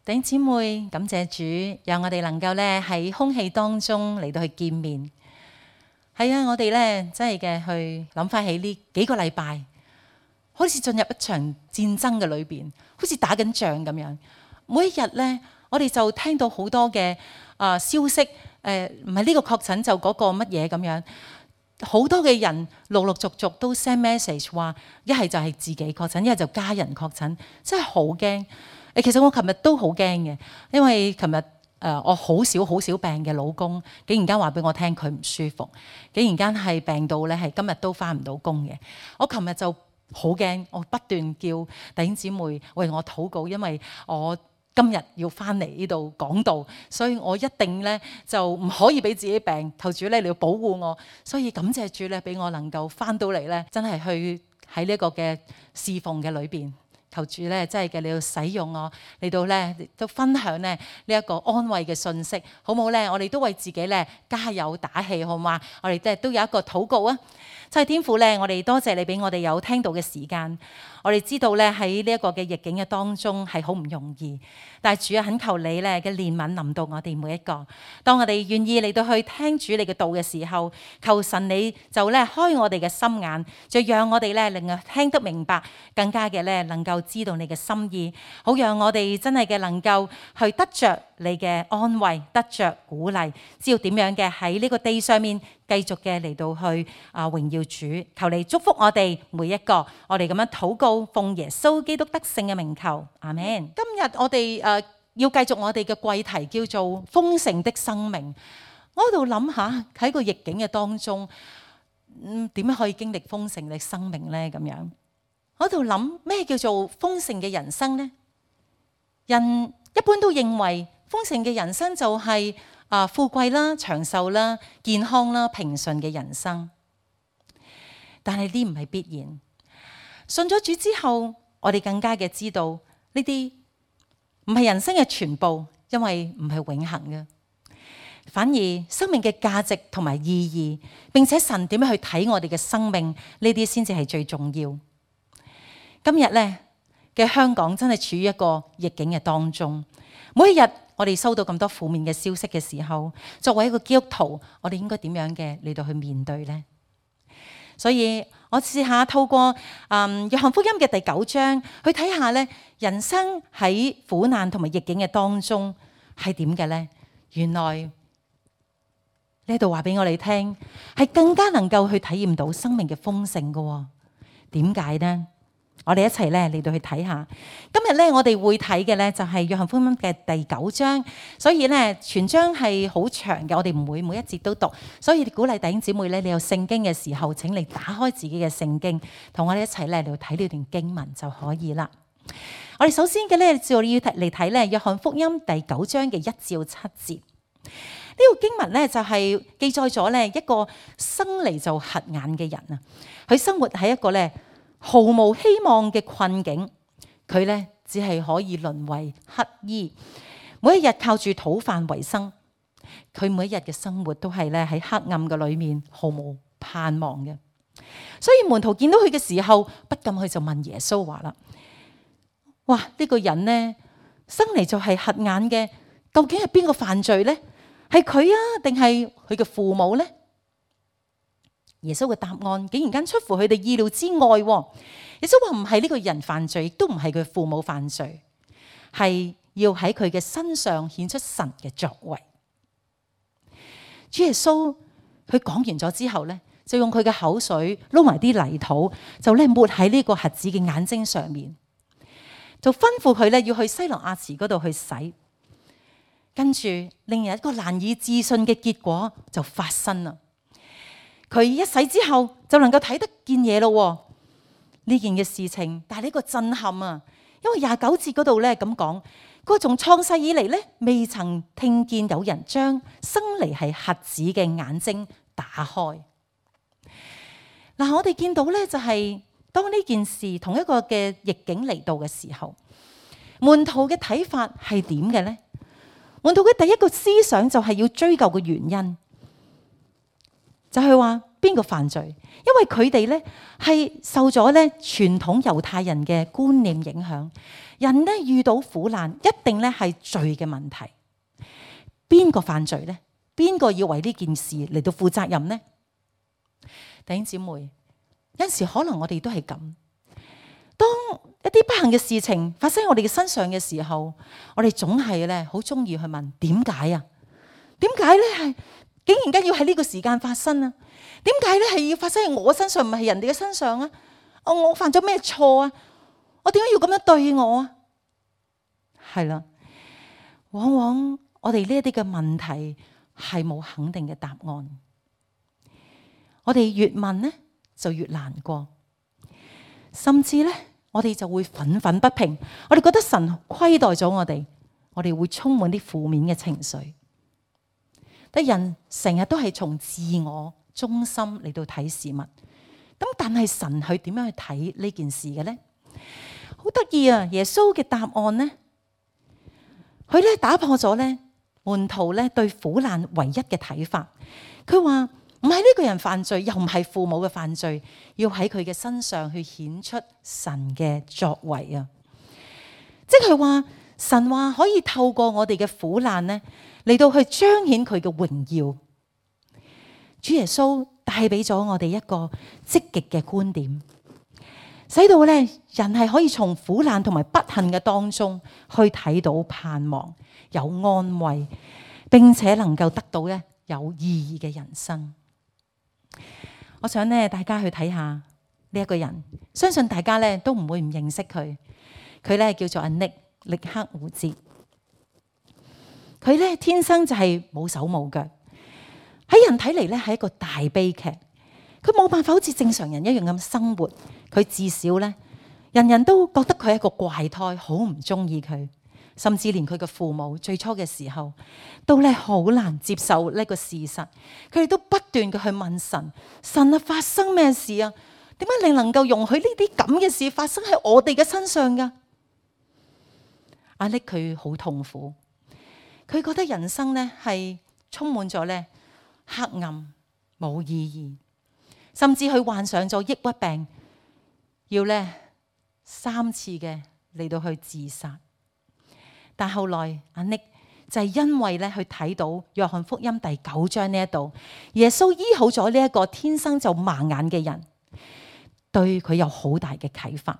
弟兄姊妹，感謝主，讓我哋能夠咧喺空氣當中嚟到去見面。係啊，我哋咧真係嘅去諗翻起呢幾個禮拜，好似進入一場戰爭嘅裏邊，好似打緊仗咁樣。每一日咧，我哋就聽到好多嘅消息，唔係呢個確診就嗰個乜嘢咁樣。好多嘅人陸陸續續都 send message 話，一係就係自己確診，一係就家人確診，真係好驚。其實我琴日都好驚嘅，因為琴日我好少病嘅老公，竟然間話俾我聽佢唔舒服，竟然間係病到咧係今日都返唔到工嘅。我琴日就好驚，我不斷叫弟兄姊妹為我禱告，因為我今日要返嚟呢度講道，所以我一定咧就唔可以俾自己病，求主咧你要保護我。所以感謝主咧，俾我能夠返到嚟咧，真係去喺呢個嘅侍奉嘅裏邊。求主咧，真係嘅，你要使用我嚟到咧，都分享咧呢一個安慰嘅信息，好唔好咧？我哋都為自己咧加油打氣，好嘛？我哋都有一個禱告啊！真係天父咧，我哋多謝你俾我哋有聽到嘅時間。我哋知道咧喺呢一個嘅逆境嘅當中係好唔容易，但係主啊，懇求你咧嘅憐憫臨到我哋每一個。當我哋願意嚟到去聽主你嘅道嘅時候，求神你就咧開我哋嘅心眼，就讓我哋咧令我聽得明白，更加嘅咧能夠知道你嘅心意，好讓我哋真係嘅能夠去得着你嘅安慰，得着鼓勵，知道點樣嘅喺呢個地上面繼續嘅嚟到去榮耀主。求你祝福我哋每一個，我哋咁樣禱告，奉耶穌基督得勝嘅名求，阿們。今日我哋要繼續我哋嘅季題，叫做豐盛的生命。我喺度諗下喺個逆境嘅當中，點樣可以經歷豐盛嘅生命呢？咁樣我喺度諗咩叫做豐盛嘅人生呢？人一般都認為豐盛嘅人生就係富貴啦、長壽啦、健康啦、平順嘅人生。但係呢唔係必然。信咗主之後，我哋更加嘅知道呢啲唔係人生嘅全部，因為唔係永恆嘅。反而生命嘅價值同埋意義，並且神點樣去睇我哋嘅生命，呢啲先至係最重要。今日咧嘅香港真係處於一個逆境嘅當中，每一日我哋收到咁多負面嘅消息嘅時候，作為一個基督徒，我哋應該點樣嘅嚟到去面對呢？所以我試下透過約翰福音嘅第9章去睇下咧，人生喺苦難同埋逆境嘅當中係點嘅咧？原來呢度話俾我哋聽，係更加能夠去體驗到生命嘅豐盛嘅。點解呢？我哋一齊咧嚟到去睇下。今日咧我哋會睇嘅咧就係約翰福音嘅第9章，所以咧全章係好長嘅，我哋唔會每一節都讀，所以鼓勵弟兄姊妹咧，你有聖經嘅時候，請你打開自己嘅聖經，同我哋一齊咧嚟睇呢段經文就可以啦。我哋首先嘅咧就要嚟睇咧約翰福音第9章嘅1至7節。呢個經文咧就係記載咗咧一個生嚟就瞎眼嘅人啊，佢生活喺一個咧毫無希望嘅困境，佢咧只係可以淪為乞兒，每一日靠住討飯為生。佢每一日嘅生活都係咧喺黑暗嘅裏面，毫無盼望嘅。所以門徒見到佢嘅時候，不禁佢就問耶穌話啦：哇，呢個人呢，生嚟就係瞎眼嘅，究竟係邊個犯罪呢？係佢啊，定係佢嘅父母呢？耶穌嘅答案竟然間出乎佢哋意料之外。耶穌話唔係呢個人犯罪，亦都唔係佢父母犯罪，係要喺佢嘅身上顯出神嘅作為。主耶穌佢講完咗之後咧，就用佢嘅口水撈埋啲泥土，就咧抹喺呢個瞎子嘅眼睛上面，就吩咐佢咧要去西羅亞池嗰度去洗。跟住令人一個難以置信嘅結果就發生啦。佢一洗之後就能夠睇得見嘢咯。呢件嘅事情帶嚟一個震撼啊！因為29節嗰度咧咁講，佢從創世以嚟咧未曾聽見有人將生嚟係瞎子嘅眼睛打開。嗱，我哋見到咧就係當呢件事同一個嘅逆境嚟到嘅時候，門徒嘅睇法係點嘅咧？門徒嘅第一個思想就係要追究嘅原因，就係話邊個犯罪？因為佢哋咧係受咗咧傳統猶太人嘅觀念影響，人咧遇到苦難一定咧係罪嘅問題。邊個犯罪咧？邊個要為呢件事嚟到負責任呢？弟兄姊妹，有陣時可能我哋都係咁。當一啲不幸嘅事情發生喺我哋嘅身上嘅時候，我哋總係咧好中意去問點解啊？點解咧係竟然間要喺呢個時間發生啊？點解咧係要發生喺我身上，唔係人哋嘅身上啊？我犯咗咩錯啊？我點解要咁樣對我啊？係啦，往往我哋呢一啲嘅問題係冇肯定嘅答案。我哋越問咧就越難過，甚至咧我哋就會憤憤不平。我哋覺得神虧待咗我哋會充滿啲負面嘅情緒。但人成日都係從自我中心嚟到睇事物，咁但係神佢點樣去睇呢件事嘅咧？好得意啊！耶穌嘅答案咧，佢咧打破咗咧門徒咧對苦難唯一嘅睇法。佢話唔係呢個人犯罪，又唔係父母嘅犯罪，要喺佢嘅身上去顯出神嘅作為啊！即係話神話可以透過我哋嘅苦難咧嚟到去彰顯佢嘅榮耀。主耶穌帶俾咗我哋一個積極嘅觀點，使到咧人係可以從苦難同埋不幸嘅當中去睇到盼望，有安慰，並且能夠得到咧有意義嘅人生。我想咧大家去睇下呢一個人，相信大家咧都唔會唔認識佢。佢咧叫做阿力克胡哲。佢咧天生就係冇手冇腳，喺人睇嚟咧係一個大悲劇。佢冇辦法好似正常人一樣咁生活。佢至少咧，人人都覺得佢係一個怪胎，好唔中意佢。甚至連佢嘅父母最初嘅時候，都咧好難接受呢個事實。佢哋都不斷嘅去問神：神啊，發生咩事啊？點解你能夠容許呢啲咁嘅事發生喺我哋嘅身上噶？阿力佢好痛苦。佢覺得人生咧係充滿咗咧黑暗，冇意義，甚至佢患上咗抑鬱病，要咧3次嘅嚟到去自殺。但後來阿力就係因為咧去睇到約翰福音第9章呢一度，耶穌醫好咗呢一個天生就盲眼嘅人，對佢有好大嘅啟發，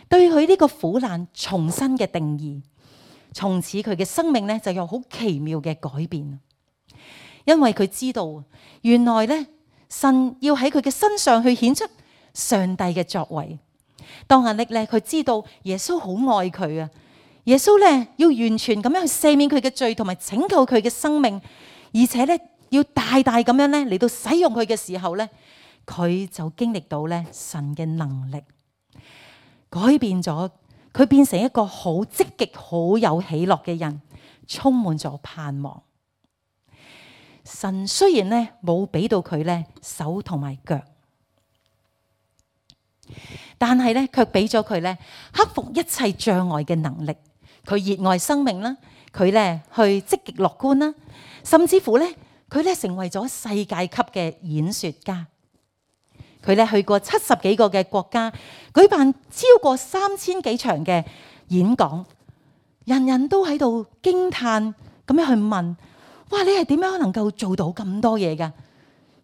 對佢呢個苦難重新嘅定義。從此佢嘅生命咧就有好奇妙嘅改變，因為佢知道原來咧神要喺佢嘅身上去顯出上帝嘅作為。當阿力咧佢知道耶穌好愛佢啊，耶穌咧要完全咁樣去赦免佢嘅罪同埋拯救佢嘅生命，而且咧要大大咁樣咧嚟到使用佢嘅時候咧，佢就經歷到咧神嘅能力改變咗。佢變成一個好積極、好有喜樂嘅人，充滿咗盼望。神雖然咧冇俾到佢咧手同埋腳，但係咧卻俾咗佢咧克服一切障礙嘅能力。佢熱愛生命啦，佢咧去積極樂觀啦，甚至乎咧佢咧成為咗世界級嘅演說家。佢咧去過70幾個嘅國家，舉辦超過3000幾場嘅演講，人人都喺度驚嘆咁樣去問：哇，你係點樣能夠做到咁多嘢㗎？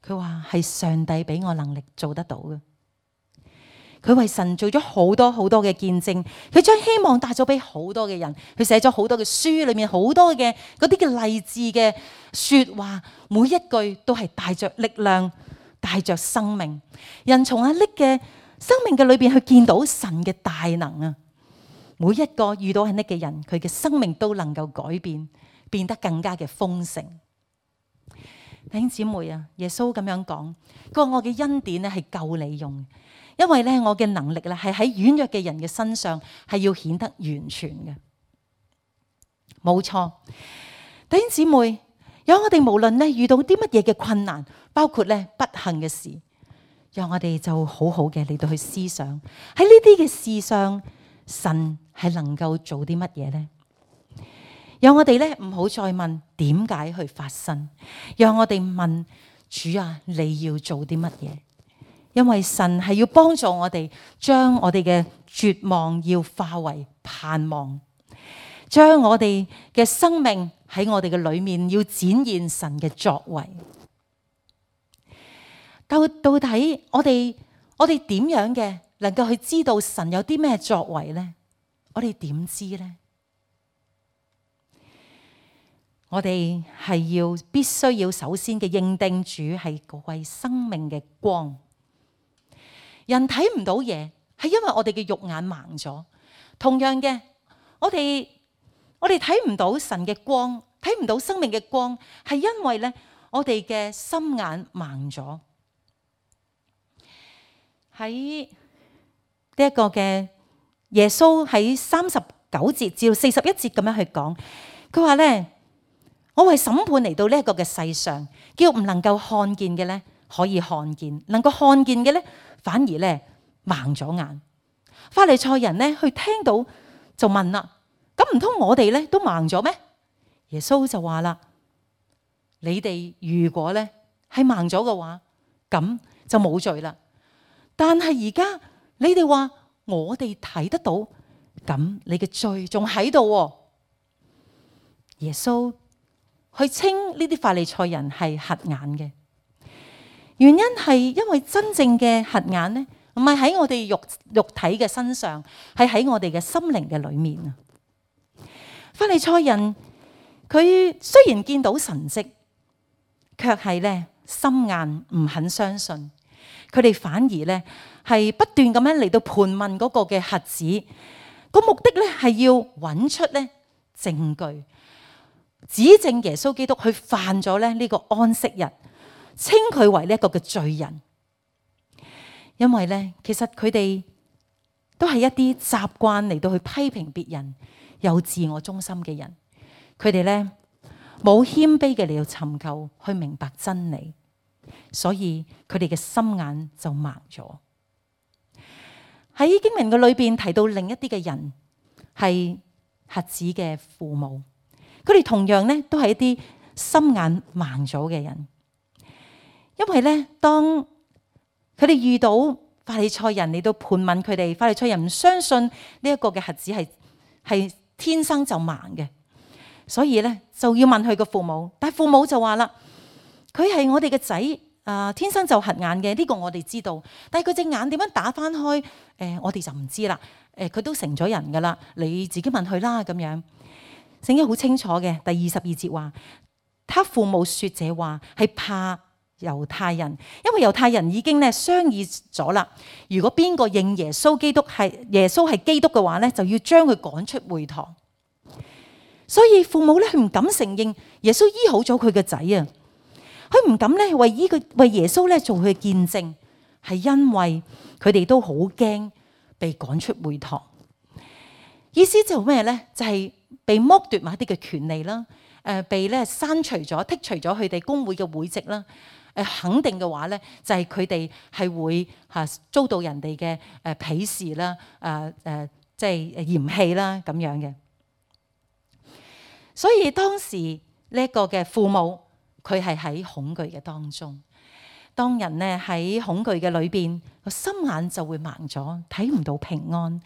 佢話係上帝俾我能力做得到嘅。佢為神做咗好多好多嘅見證，佢將希望帶咗俾好多嘅人，佢寫咗好多嘅書，裏面好多嘅嗰啲嘅勵志嘅說話，每一句都係帶着力量，帶着生命。人從阿力嘅生命嘅裏邊去見到神嘅大能啊！每一個遇到阿力嘅人，佢嘅生命都能夠改變，變得更加嘅豐盛。弟兄姊妹啊，耶穌咁樣講，佢話我嘅恩典咧係夠你用。因為咧，我嘅能力咧係喺軟弱嘅人嘅身上係要顯得完全嘅，冇錯。弟兄姊妹，有我哋無論咧遇到啲乜嘢嘅困難，包括咧不幸嘅事，讓我哋就好好嘅嚟到去思想喺呢啲嘅事上，神係能夠做啲乜嘢呢？讓我哋咧唔好再問點解去發生，讓我哋問主啊，你要做啲乜嘢？因為神係要幫助我哋，將我哋嘅絕望要化為盼望，將我哋嘅生命喺我哋嘅裏面要展現神嘅作為。到底我哋點樣嘅能夠去知道神有啲咩作為呢？我哋點知呢？我哋係必須要首先嘅認定主係嗰位生命嘅光。人睇唔到嘢，係因為我哋嘅肉眼盲咗。同樣嘅，我哋睇唔到神嘅光，睇唔到生命嘅光，係因為咧我哋嘅心眼盲咗。喺呢一個嘅耶穌喺39節至到41節咁樣去講，佢話咧：我為審判嚟到呢一個嘅世上，叫唔能夠看見嘅咧可以看見，能夠看見嘅咧反而咧盲咗眼。法利賽人咧去聽到就問啦：咁唔通我哋咧都盲咗咩？耶穌就話啦：你哋如果咧係盲咗嘅話，咁就冇罪啦。但係而家你哋話我哋睇得到，咁你嘅罪仲喺度。耶穌去稱呢啲法利賽人係瞎眼嘅原因係因為真正嘅瞎眼咧，唔係喺我哋肉體嘅身上，係喺我哋嘅心靈嘅裏面啊。法利賽人佢雖然見到神蹟，卻係咧心硬唔肯相信。佢哋反而咧係不斷咁樣嚟到盤問嗰個嘅瞎子，個目的咧係要揾出咧證據，指證耶穌基督去犯咗咧呢個安息日，稱佢為呢一個嘅罪人。因為咧其實佢哋都係一啲習慣嚟到去批評別人、有自我中心嘅人。佢哋咧冇謙卑嘅嚟到尋求去明白真理。所以佢哋嘅心眼就盲咗。喺經文嘅裏邊提到另一啲嘅人係瞎子嘅父母，佢哋同樣咧都係一啲心眼盲咗嘅人。因為咧當佢哋遇到法利賽人嚟到盤問佢哋，法利賽人唔相信呢一個嘅瞎子係天生就盲嘅，所以咧就要問佢個父母。但係父母就話啦：佢係我哋嘅仔，天生就瞎眼嘅，呢個我哋知道。但係佢隻眼點樣打翻開，我哋就唔知啦。佢都成咗人噶啦，你自己問佢啦咁樣。聖經好清楚嘅，第22節話，他父母說這話係怕猶太人，因為猶太人已經咧商議咗啦。如果邊個認耶穌係基督嘅話咧，就要將佢趕出會堂。所以父母咧佢唔敢承認耶穌醫好咗佢嘅仔啊。佢唔敢咧為耶穌咧做佢嘅見證，係因為佢哋都好驚被趕出會堂。意思就咩咧？就係被剝奪某一啲嘅權利啦，被咧刪除咗、剔除咗佢哋公會嘅會籍啦。肯定嘅話咧，就係佢哋係會遭到人哋嘅鄙視啦，即係嫌棄啦咁樣嘅。所以當時呢一個嘅父母，佢係喺恐懼嘅當中。當人咧喺恐懼嘅裏邊，個心眼就會盲咗，睇唔到平安。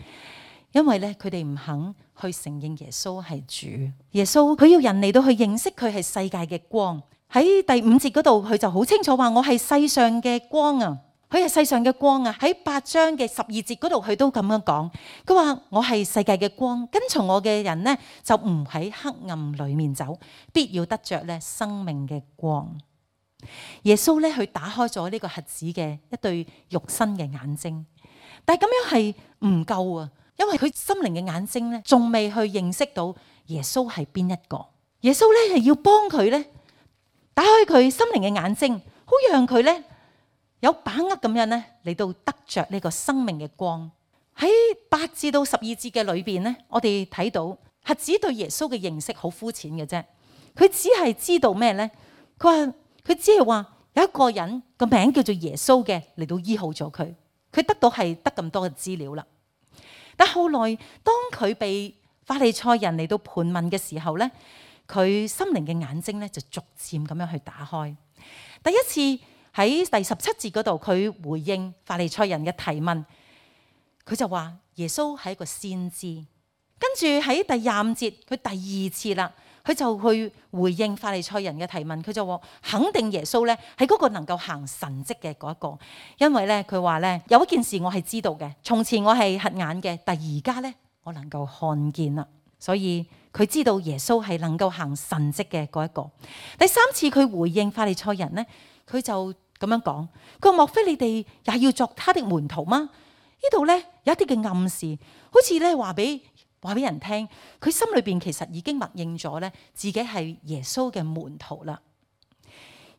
因為咧佢哋唔肯去承認耶穌係主。耶穌佢要人嚟到去認識佢係世界嘅光。喺第5節嗰度，佢就好清楚話：我係世上嘅光啊！佢係世上嘅光啊！喺8章嘅12節嗰度，佢都咁樣講。佢話：我係世界嘅光，跟從我嘅人呢，就唔喺黑暗裏面走，必要得着咧生命嘅光。耶穌咧，佢打開咗呢個瞎子嘅一對肉身嘅眼睛，但係咁樣係唔夠啊！因為佢心靈嘅眼睛咧，仲未去認識到耶穌係邊一個。耶穌咧係要幫佢咧打開佢心靈嘅眼睛，好讓佢咧有把握咁樣咧嚟到得着呢個生命嘅光。喺8至到12節嘅裏邊咧，我哋睇到瞎子對耶穌嘅認識好膚淺嘅啫。佢只係知道咩咧？佢只係話有一個人個名叫做耶穌嘅嚟到醫好咗佢。佢得到係得咁多嘅資料啦。但後來當佢被法利賽人嚟到盤問嘅時候咧，佢心靈嘅眼睛咧就逐漸咁樣去打開。第一次喺第17節嗰度，佢回應法利賽人嘅提問，佢就話耶穌係一個先知。跟住喺第25節，佢第二次啦，佢就去回應法利賽人嘅提問，佢就話肯定耶穌咧係嗰個能夠行神蹟嘅嗰一個，因為咧佢話咧有一件事我係知道嘅，從前我係瞎眼嘅，但而家咧我能夠看見啦，所以佢知道耶穌係能夠行神蹟嘅嗰一個。第三次佢回應法利賽人咧，佢就咁樣講，佢話莫非你哋也要作他的門徒嗎？呢度咧有一啲嘅暗示，好似咧話俾人聽，佢心裏邊其實已經默認咗咧，自己係耶穌嘅門徒啦。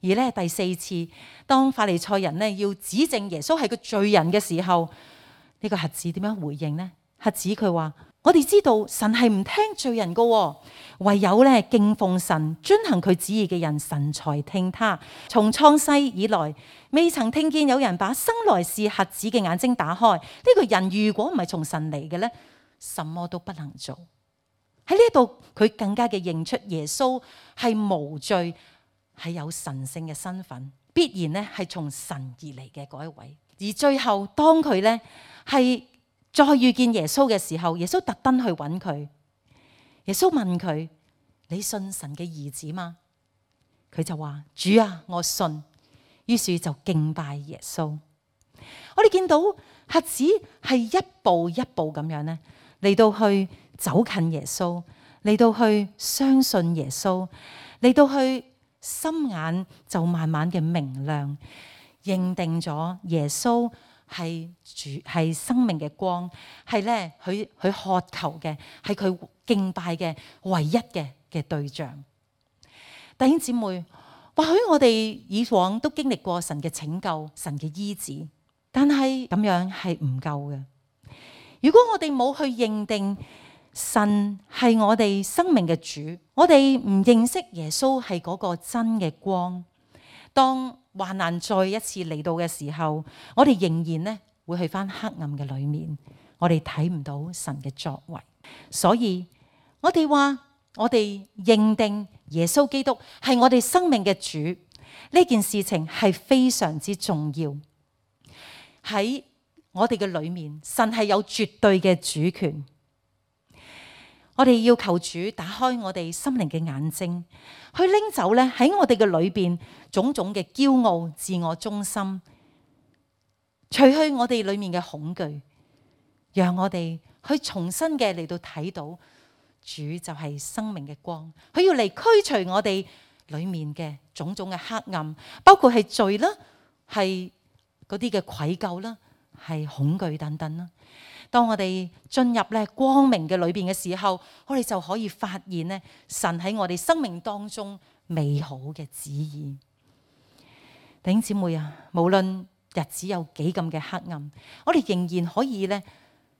而咧第四次，當法利賽人咧要指證耶穌係個罪人嘅時候，呢個瞎子點樣回應呢？瞎子佢話：我哋知道神係唔聽罪人噶，唯有咧敬奉神、遵行佢旨意嘅人，神才聽他。從創世以來，未曾聽見有人把生來是瞎子嘅眼睛打開。呢個人如果唔係從神嚟嘅咧，什麼都不能做。喺呢度佢更加嘅認出耶穌係無罪，係有神聖嘅身份，必然咧係從神而嚟嘅嗰一位。而最後當佢咧係再遇見耶穌嘅時候，耶穌特登去揾佢。耶穌問佢：你信神嘅兒子嗎？佢就話：主啊，我信。於是就敬拜耶穌。我哋見到瞎子係一步一步咁樣咧嚟到去走近耶穌，嚟到去相信耶穌，嚟到去心眼就慢慢嘅明亮，認定咗耶穌係主，係生命嘅光，係咧佢渴求嘅，係佢敬拜嘅唯一嘅對象。弟兄姊妹，或許我哋以往都經歷過神嘅拯救、神嘅醫治，但係咁樣係唔夠嘅。如果我哋冇去認定神係我哋生命嘅主，我哋唔認識耶穌係嗰個真嘅光，當患難再一次嚟到嘅時候，我哋仍然咧會去返黑暗嘅裏面，我哋睇唔到神嘅作為。所以我哋話，我哋認定耶穌基督係我哋生命嘅主，呢件事情係非常之重要。喺我哋嘅裏面，神係有絕對嘅主權。我哋要求主打開我哋心靈嘅眼睛，去拎走咧喺我哋嘅裏邊種種嘅驕傲、自我中心，除去我哋裏面嘅恐懼，讓我哋去重新嘅嚟到睇到主就係生命嘅光。佢要嚟驅除我哋裏面嘅種種嘅黑暗，包括係罪啦，係嗰啲嘅愧疚啦，係恐懼等等啦。當我哋進入咧光明嘅裏邊嘅時候，我哋就可以發現咧神喺我哋生命當中美好嘅旨意。弟兄姊妹啊，無論日子有幾咁嘅黑暗，我哋仍然可以咧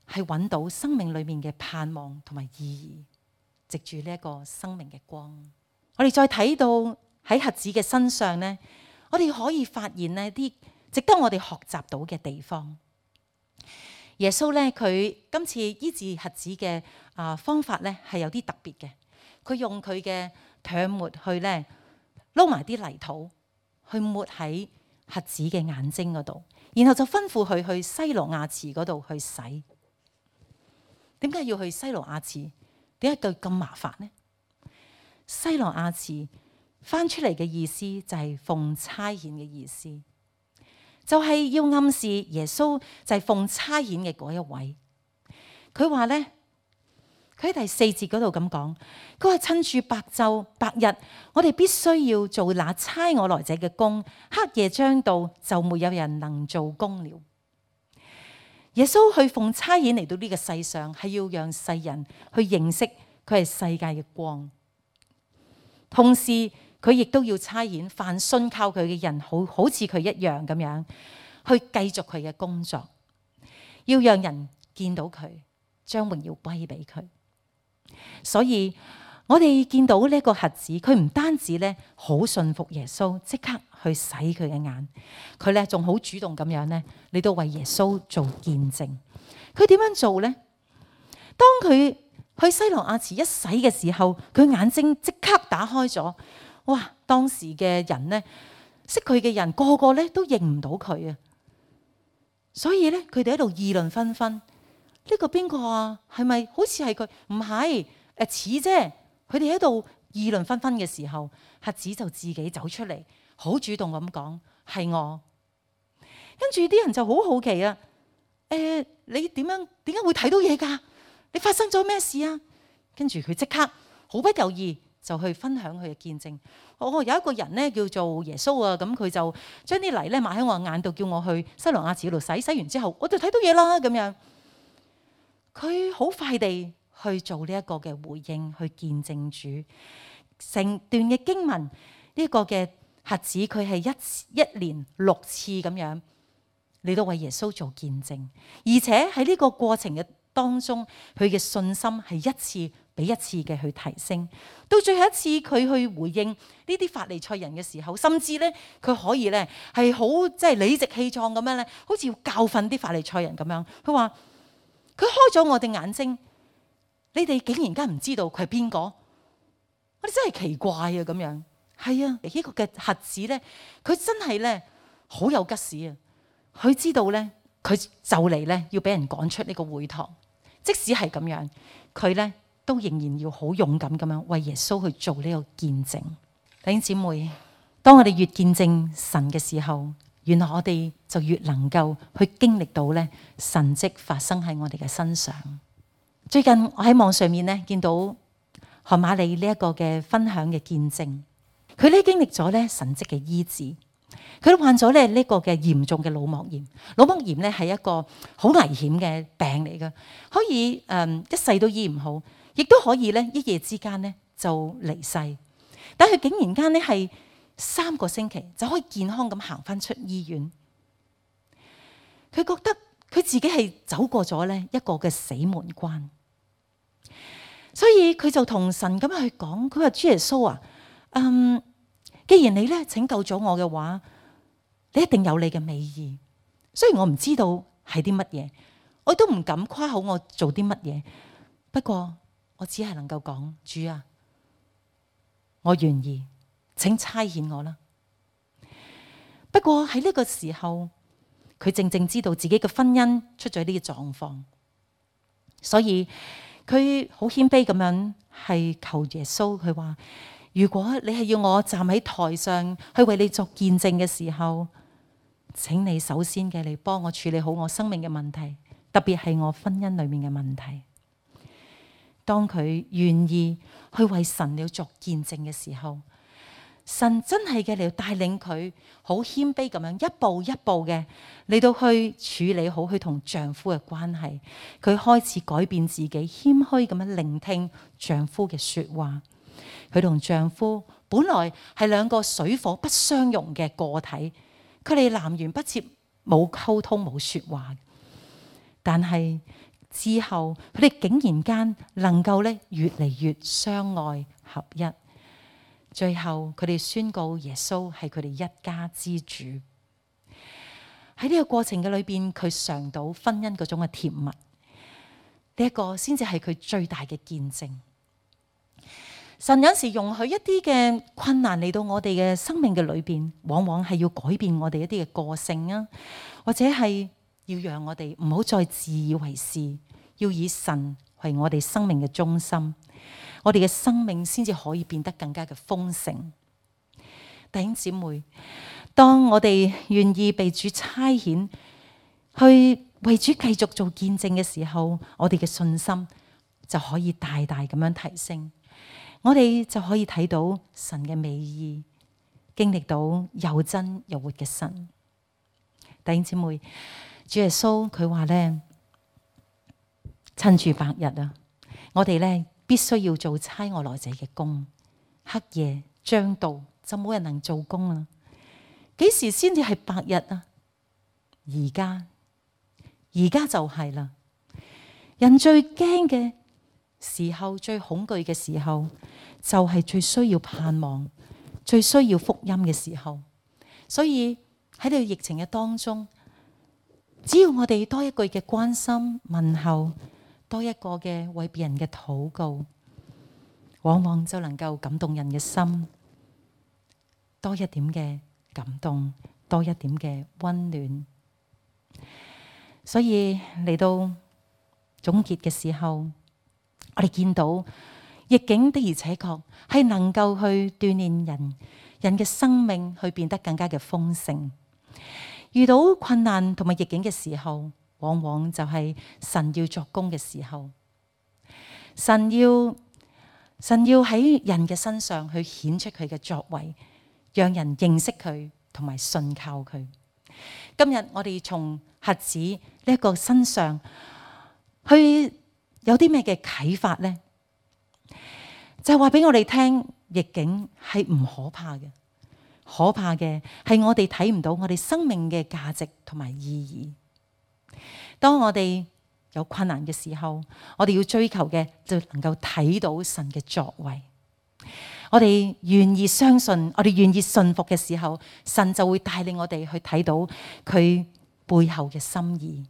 係揾到生命裏面嘅盼望同埋意義，藉住呢一個生命嘅光。我哋再睇到喺瞎子嘅身上咧，我哋可以發現呢啲值得我哋學習到嘅地方。耶穌咧，佢今次醫治瞎子嘅方法咧係有啲特別嘅。佢用佢嘅唾沫去咧撈埋啲泥土，去抹喺瞎子嘅眼睛嗰度，然後就吩咐佢去西羅亞池嗰度去洗。點解要去西羅亞池？點解佢咁麻煩呢？西羅亞池翻出嚟嘅意思就係奉差遣嘅意思。就係要暗示耶穌就係奉差遣嘅嗰一位。佢話咧，佢喺第4節嗰度咁講，佢話趁住白晝白日，我哋必須要做那差我來者嘅工。黑夜將到，就沒有人能做工了。耶穌去奉差遣嚟到呢個世上，係要讓世人去認識佢係世界嘅光，同時佢亦都要差遣凡信靠佢嘅人，好似佢一樣咁樣去繼續佢嘅工作，要讓人見到佢，將榮耀歸俾佢。所以我哋見到呢個瞎子，佢唔單止咧好信服耶穌，即刻去洗佢嘅眼，佢咧仲好主動咁樣咧嚟到為耶穌做見證。佢點樣做呢？當佢去西羅亞池一洗嘅時候，佢眼睛即刻打開咗。哇！當時嘅人咧識佢嘅人個個咧都認唔到佢啊！所以咧，佢哋喺度議論紛紛。呢個邊個啊？係咪好似係佢？唔係，似啫。佢哋喺度議論紛紛嘅時候，瞎子就自己走出嚟，好主動咁講：係我。跟住啲人就好好奇啊！你點解會睇到嘢㗎？你發生咗咩事啊？跟住佢即刻毫不猶豫就去分享佢嘅見證。有一個人咧叫做耶穌啊，咁佢就將啲泥咧抹喺我眼度，叫我去西羅亞池度洗。洗完之後，我就睇到嘢啦。咁樣，佢好快地去做呢一個嘅回應，去見證主。成段嘅經文，呢一個嘅瞎子佢係一連6次咁樣嚟到為耶穌做見證，而且喺呢個過程嘅當中，佢嘅信心係一次比一次嘅去提升。到最後一次佢去回應呢啲法利賽人嘅時候，甚至咧佢可以咧係好即係理直氣壯咁樣咧，好似要教訓啲法利賽人咁樣。佢話佢開咗我哋眼睛，你哋竟然間唔知道佢係邊個？我哋真係奇怪啊！咁樣係啊，呢個嘅瞎子咧，佢真係咧好有吉事啊！佢知道咧，佢就嚟咧要俾人趕出呢個會堂。即使係咁樣，佢咧都仍然要好勇敢咁樣為耶穌去做呢個見證。弟兄姊妹，當我哋越見證神嘅時候，原來我哋就越能夠去經歷到咧神蹟發生喺我哋嘅身上。最近我喺網上面咧見到韓瑪利呢一個嘅分享嘅見證，佢咧經歷咗咧神蹟嘅醫治。佢都患咗咧呢個嘅嚴重嘅腦膜炎。腦膜炎咧係一個好危險嘅病嚟嘅，可以一世都醫唔好，亦都可以咧一夜之間咧就離世。但係佢竟然間咧係3個星期就可以健康咁行翻出醫院。佢覺得佢自己係走過咗咧一個嘅死門關，所以佢就同神咁去講，佢話主耶穌啊，既然你咧拯救咗我嘅話，你一定有你嘅美意。雖然我唔知道係啲乜嘢，我都唔敢誇口我做啲乜嘢。不過我只係能夠講，主啊，我願意，請差遣我啦。不過喺呢個時候，佢正正知道自己嘅婚姻出咗呢個狀況，所以佢好謙卑咁樣係求耶穌，佢話，如果你係要我站喺台上去為你作見證嘅時候，請你首先嘅嚟幫我處理好我生命嘅問題，特別係我婚姻裏面嘅問題。當佢願意去為神了作見證嘅時候，神真係嘅嚟帶領佢好謙卑咁樣一步一步嘅嚟到去處理好佢同丈夫嘅關係。佢開始改變自己，謙虛咁樣聆聽丈夫嘅說話。佢同丈夫本來係2個水火不相容嘅個體，佢哋南轅北轍，冇溝通冇說話。但係之後佢哋竟然間能夠咧越嚟越相愛合一。最後佢哋宣告耶穌係佢哋一家之主。喺呢個過程嘅裏邊，佢嘗到婚姻嗰種嘅甜蜜。呢一個先至係佢最大嘅見證。神有時容許一啲嘅困難嚟到我哋嘅生命嘅裏邊，往往係要改變我哋一啲嘅個性啊，或者係要讓我哋唔好再自以為是，要以神為我哋生命嘅中心，我哋嘅生命先至可以變得更加嘅豐盛。弟兄姊妹，當我哋願意被主差遣去為主繼續做見證嘅時候，我哋嘅信心就可以大大咁樣提升。我哋就可以睇到神嘅美意，經歷到又真又活嘅神。弟兄姊妹，主耶穌佢話咧，趁住白日啊，我哋咧必須要做差我來者嘅工。黑夜將到，就冇人能做工啦。幾時先至係白日啊？而家就係啦。人最驚嘅時候，最恐懼嘅時候，就係最需要盼望、最需要福音嘅時候。所以喺呢個疫情嘅當中，只要我哋多一句嘅關心問候，多一個嘅為別人嘅禱告，往往就能夠感動人嘅心，多一點嘅感動，多一點嘅溫暖。所以嚟到總結嘅時候，我哋見到逆境的而且確係能夠去鍛煉人嘅生命，去變得更加嘅豐盛。遇到困難同埋逆境嘅時候，往往就係神要作工嘅時候。神要喺人嘅身上去顯出佢嘅作為，讓人認識佢同埋信靠佢。今日我哋從瞎子呢一個身上去有啲咩嘅啟發呢？就係話俾我哋聽，逆境係唔可怕嘅，可怕嘅係我哋睇唔到我哋生命嘅價值同埋意義。當我哋有困難嘅時候，我哋要追求嘅就能夠睇到神嘅作為。我哋願意相信，我哋願意信服嘅時候，神就會帶領我哋去睇到佢背後嘅心意，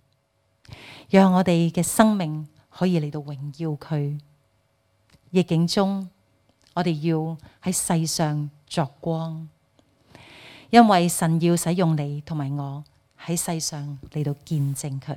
讓我哋嘅生命可以嚟到榮耀佢。逆境中，我哋要喺世上作光，因為神要使用你同埋我喺世上嚟到見證佢。